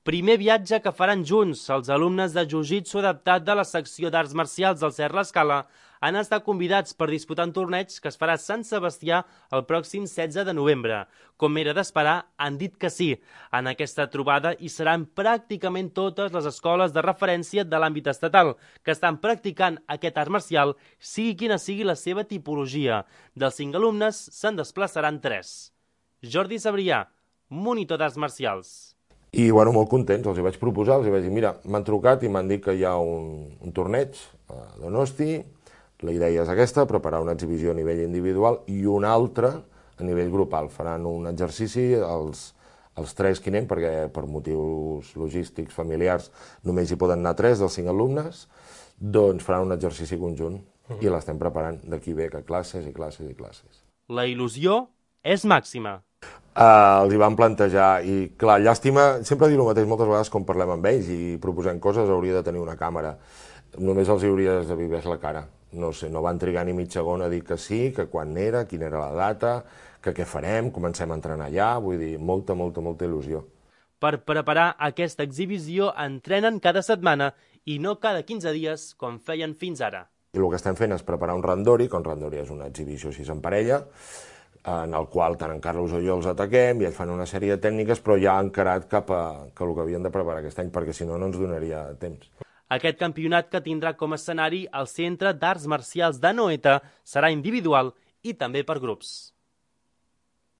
Primer viatge que faran junts. Els alumnes de Jiu-Jitsu adaptat de la secció d'arts marcials del Cert l'Escala han estat convidats per disputar un torneig que es farà a Sant Sebastià el pròxim 16 de novembre. Com era d'esperar, han dit que sí. En aquesta trobada hi seran pràcticament totes les escoles de referència de l'àmbit estatal que estan practicant aquest art marcial, sigui quina sigui la seva tipologia. Dels 5 alumnes se'n desplaçaran 3. Jordi Sabrià, monitor d'arts marcials. I, molt contents, els hi vaig proposar, els hi vaig dir, mira, m'han trucat i m'han dit que hi ha un torneig a Donosti, la idea és aquesta, preparar una exhibició a nivell individual i una altra a nivell grupal. Faran un exercici, els 3 que hi anem, perquè per motius logístics, familiars, només hi poden anar 3 dels 5 alumnes, doncs faran un exercici conjunt i l'estem preparant d'aquí ve que classes i classes i classes. La il·lusió és màxima. Els hi van plantejar i, clar, llàstima, sempre dic el mateix moltes vegades quan parlem amb ells i proposem coses, hauria de tenir una càmera. Només els hauries de viver la cara. No sé, no van trigar ni mig segon a dir que sí, que quan era, quina era la data, que què farem, comencem a entrenar allà, vull dir, molta il·lusió. Per preparar aquesta exhibició entrenen cada setmana i no cada 15 dies com feien fins ara. I el que estem fent és preparar un randori, que un randori és una exhibició així en parella, en el qual tant en Carlos o jo els ataquem i ells fan una sèrie de tècniques, però ja han encarat cap a el que havien de preparar aquest any, perquè si no, no ens donaria temps. Aquest campionat, que tindrà com a escenari el Centre d'Arts Marcials d'Anoeta, serà individual i també per grups.